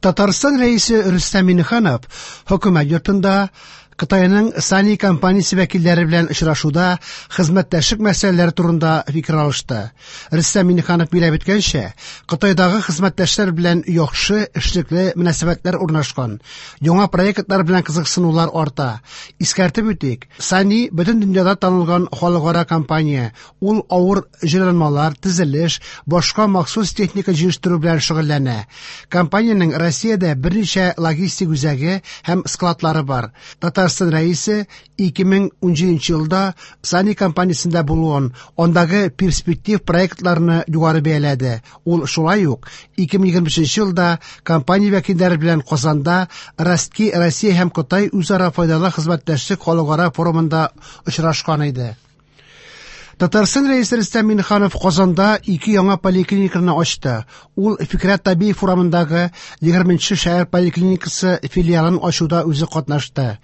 Татарстан Рәисе Рөстәм Миңнеханов Хөкүмәт йортында Кытайның Сани компаниясе вәкилләре белән очрашуда хезмәттәшлек мәсьәләләре турында фикер алышты. Рөстәм Миңнеханов билгеләп үткәнчә, Кытайдагы хезмәттәшләр белән яхшы эшлекле мөнәсәбәтләр урнашкан. Яңа проектлар белән кызыксынулар арта. Искәртеп үтик, Сани бөтен дөньяда танылган халыкара компания. Ул авыр җайланмалар, төзелеш, башка махсус техника җитештерү белән шөгыльләнә. Компаниянең Россиядә берничә логистик үзәге һәм складлары бар. Татарстан Рәисе 2017 елда Сани компаниясендә булуын, андагы перспектив проектларны югары бәяләде. Ул шулай ук 2023 елда компания вәкилләре белән Казанда Ростки Россия һәм Кытай үзара файдалы хезмәттәшлек халыкара форумында очрашкан иде. Татарстан Рәисе Рөстәм Миңнеханов Казанда ике яңа поликлиниканы ачты. Ул Фикрәт Табиев урамындагы 20 шәһәр поликлиникасы филиалын ачуда үзе катнашты.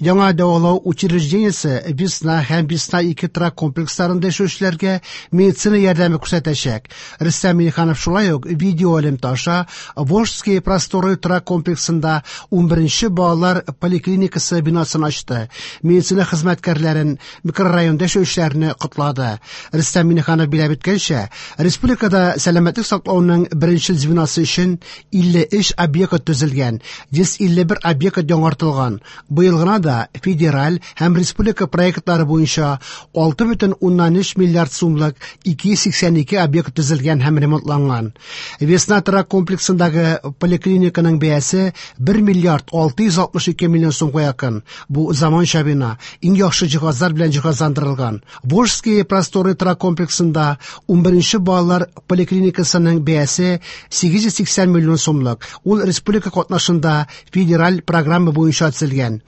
Яңа дәвалау учреждениесе Весна һәм Весна 2 торак комплексларында яшәүчеләргә медицина ярдәме күрсәтәчәк. Рөстәм Миңнеханов шулай ук видеоэлемтә аша Волжские просторы торак комплексында 11 балалар поликлиникасы бинасын ачты. Медицина хезмәткәрләрен микрорайонда яшәүчеләрне котлады. Рөстәм Миңнеханов билгеләп үткәнчә, республикада сәламәтлек саклауның беренчел звеносы өчен 53 объект төзелгән, 151 объект яңартылган. Быел гына да федераль һәм республика проектлары буенча 6,3 миллиард сумлык 282 объект төзелгән һәм ремонтланган. Весна торак комплексындагы поликлиниканың бәясе 1 миллиард 662 миллион сумга якын. Бу заманча бина, иң яхшы җиһазлар белән җиһазландырылган. Волжские просторы торак комплексында 11 балалар поликлиникасының бәясе 880 миллион сумлык. Ул республика катнашында федераль программа буенча төзелгән.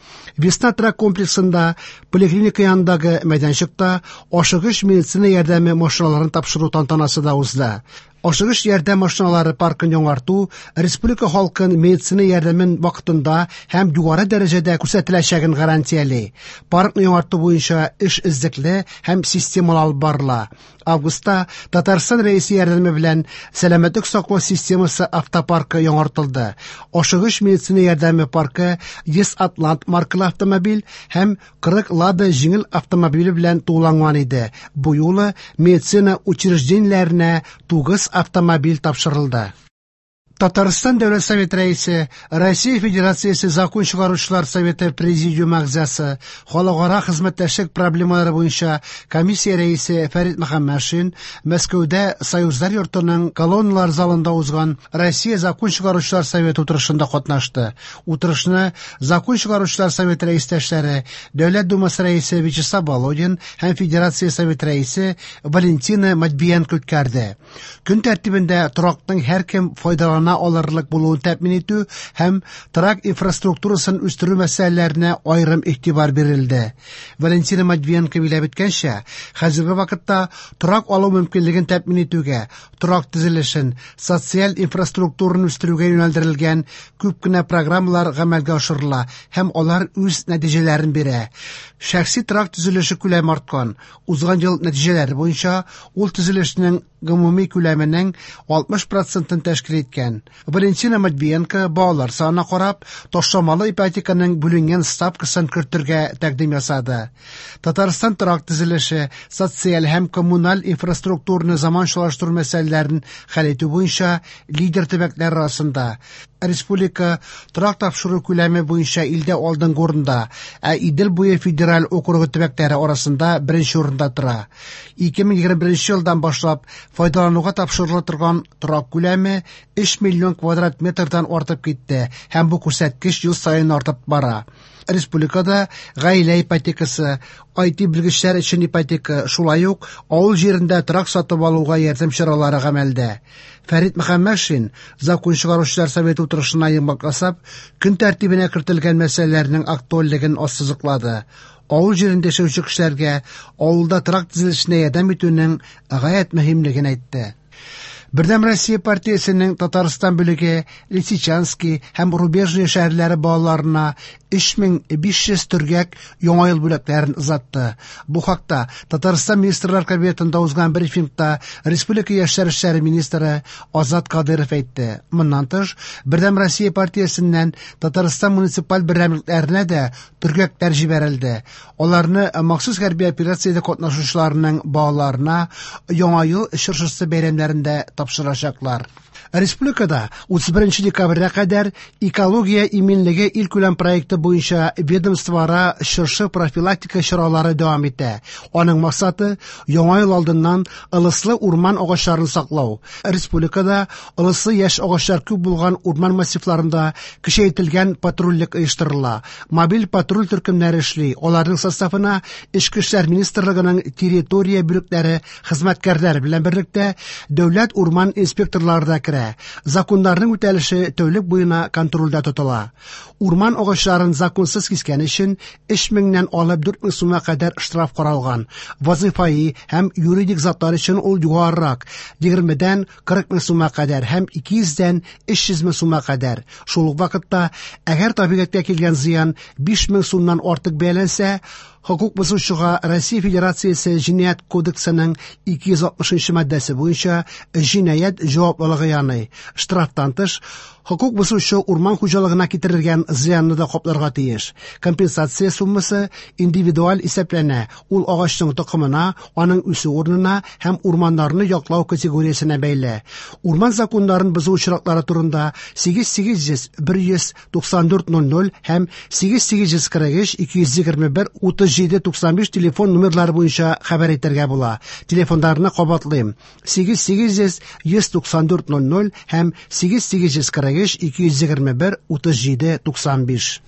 Весна торак комплексында поликлиника янындагы мәйданчыкта ашыгыч медицина ярдәме машиналарын тапшыру тантанасы да узды. Ашыгыч ярдәм машиналары паркын яңарту республика халкын медицина ярдәмен вакытында һәм югары дәрәҗәдә күрсәтеләчәген гарантияли. Паркны яңарту буенча эш эзлекле һәм системалы алып барыла. Августта Татарстан Рәисе ярдәме белән сәламәтлек саклау системасы автопаркы яңартылды. Ашыгыч медицина ярдәме паркы 100 Атлант маркалы автомобиль һәм 40 Лада җиңел автомобиле белән тулыланган иде. Бу юлы медицина учреждениеләренә 9 автомобиль тапшырылды. Татарстан Дәүләт Советы Рәисе, Россия Федерациясе Закон чыгаручылар Советы Президиумы әгъзасы, халыкара хезмәттәшлек проблемалары буенча комиссия рәисе Фәрит Мөхәммәтшин Мәскәүдә Союзлар йортының колонналар залында узган Россия Закон чыгаручылар Советы утырышында катнашты. Утырышны Закон чыгаручылар Советы рәистәшләре, Дәүләт Думасы рәисе Вячеслав Володин һәм Федерация Советы рәисе Валентина Матвиенко үткәрде. Көн тәртибендә торакның һәркем файдалана алырлык булуын тәэмин итү һәм торак инфраструктурасын үстерү мәсьәләләренә аерым игътибар бирелде. Валентина Матвиенко билгеләп үткәнчә, хәзерге вакытта торак алу мөмкинлеген тәэмин итүгә, торак төзелешен, социаль инфраструктураны үстерүгә юнәлдерелгән күп кенә программалар гамәлгә ашырыла һәм алар үз нәтиҗәләрен бирә. Шәхси торак төзелеше күләме арткан. Узган ел нәтиҗәләре буенча ул төзелешнең гомуми күләменең 60%-ын тәшкил иткән. Валентина Матвиенко балалар санына карап, ташламалы ипотеканың бүленгән ставкасын кертергә тәкъдим ясады. Татарстан торак төзелеше, социаль һәм коммуналь инфраструктураны заманчалаштыру мәсьәләләрен хәл итү буенча лидер төбәкләр арасында. Республика торак тапшыру күләме буенча илдә алдынгы урында, ә Идел буе федераль округы төбәкләре арасында беренче урында тора. 2021 елдан башлап файдалануга тапшырыла торган торак күләме 3 миллион квадрат метрдан артып китте һәм бу күрсәткеч ел саен артып бара. Республикада гаилә ипотекасы, IT белгечләр өчен ипотека, шулай ук авыл җирендә торак сатып алуга ярдәм чаралары гамәлдә. Фәрит Мөхәммәтшин Закон чыгаручылар советы утырышына йомгак ясап, көн тәртибенә кертелгән мәсьәләләрнең актуальлеген ассызыклады. Авыл җирендә яшәүче кешеләргә авылда торак төзелешенә ярдәм итүнең гаять мөһимлеген әйтте. Бердәм Россия партиясенең Татарстан бүлеге Лисичански һәм Рубежное шәһәрләре балаларына 3500 төргәк Яңа ел бүләкләрен озатты. Бу хакта Татарстан Министрлар Кабинетында узган брифингта республика яшьләр эшләре министры Азат Кадыров әйтте. Моннан тыш, Бердәм Россия партиясеннән Татарстан муниципаль берәмлекләренә дә төргәкләр җибәрелде. Аларны махсус хәрби операциядә катнашучыларның балаларына Яңа ел чыршысы бәйрәмнәрендә тапшырачаклар. Республикада 31 декабрьгә кадәр экология иминлеге илкүләм проекты буенча ведомствоара чыршы профилактика чаралары дәвам итә. Аның максаты Яңа ел алдыннан ылыслы урман агачларын саклау. Республикада ылыслы яшь агачлар күп булган урман массивларында көчәйтелгән патрульлек оештырыла. Мобиль патруль төркемнәре эшли. Аларның составына Эчке эшләр министрлыгының территория бүлекләре хезмәткәрләре белән берлектә дәүләт урман инспекторлары да керә. Законнарның үтәлеше тәүлек буена контрольдә тотыла. Урман агачларын законсыз кискән өчен 3000-нән алып 4000 сумга кадәр штраф каралган. Вазифаи һәм юридик затлар өчен ул югарырак 20-дән 40 мең сумга кадәр һәм 200-дән 300 мең сумга кадәр. Шул ук вакытта, әгәр табигатькә килгән зыян 5 мең сумнан артык бәяләнсә, хокук бозучыга Россия Федерациясе Җинаять кодексының 260 маддәсе буенча җинаять җаваплылыгы яный. Штрафтан тыш, хокук бозучы урман хуҗалыгына китерелгән зыянны да капларга тиеш. Компенсация суммасы индивидуаль исәпләнә. Ул агачның токымына, аның үсү урынына һәм урманнарны яклау категориясенә бәйле. Урман законнарын бозу очраклары турында 8800 194 00 һәм 8843 221 37 95 телефон номерлары буенча хәбәр итәргә була. Телефоннарны кабатлыйм. 8800 194 00 һәм 8843 221 37 95.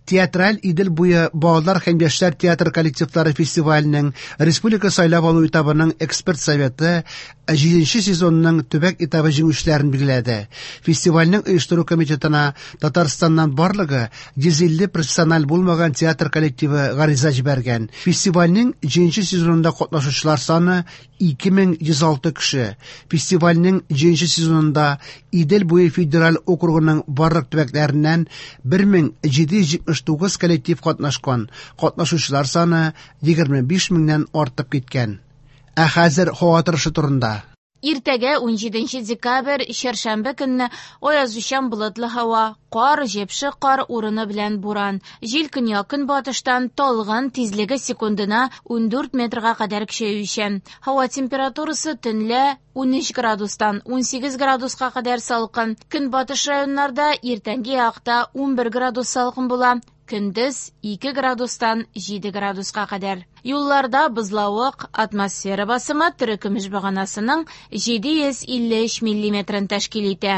Театраль Идел буе балалар һәм яшьләр театр коллективлары фестиваленең республика сайлап алу этабының эксперт советы 7 сезонның төбәк этабы җиңүчеләрен билгеләде. Фестивальнең оештыру комитетына Татарстаннан барлыгы 150 профессиональ булмаган театр коллективы гариза җибәргән. Фестивальнең 7 сезонында катнашучылар саны 2106 кеше. Фестивальнең 7 сезонында Идел буе федераль округының барлык төбәкләреннән 1779 коллектив катнашкан. Катнашучылар саны 25 меңнән артып киткән. Ә хәзер һава торышы турында. Иртәгә 17 декабрь, чәршәмбе көнне аязучан болытлы һава, кар, җепшек кар урыны белән буран. Җил көньяк-көнбатыштан талгын, тизлеге секундына 14 метрга кадәр көчәючән. Һава температурасы төнлә 13 градустан 18 градуска кадәр салкын. Көнбатыш районнарда иртәнге якта 11 градус салкын була. Көндез 2 градустан 7 градуска кадәр. Юлларда бозлавык, атмосфера басымы терекөмеш баганасының 753 миллиметрын тәшкил итә.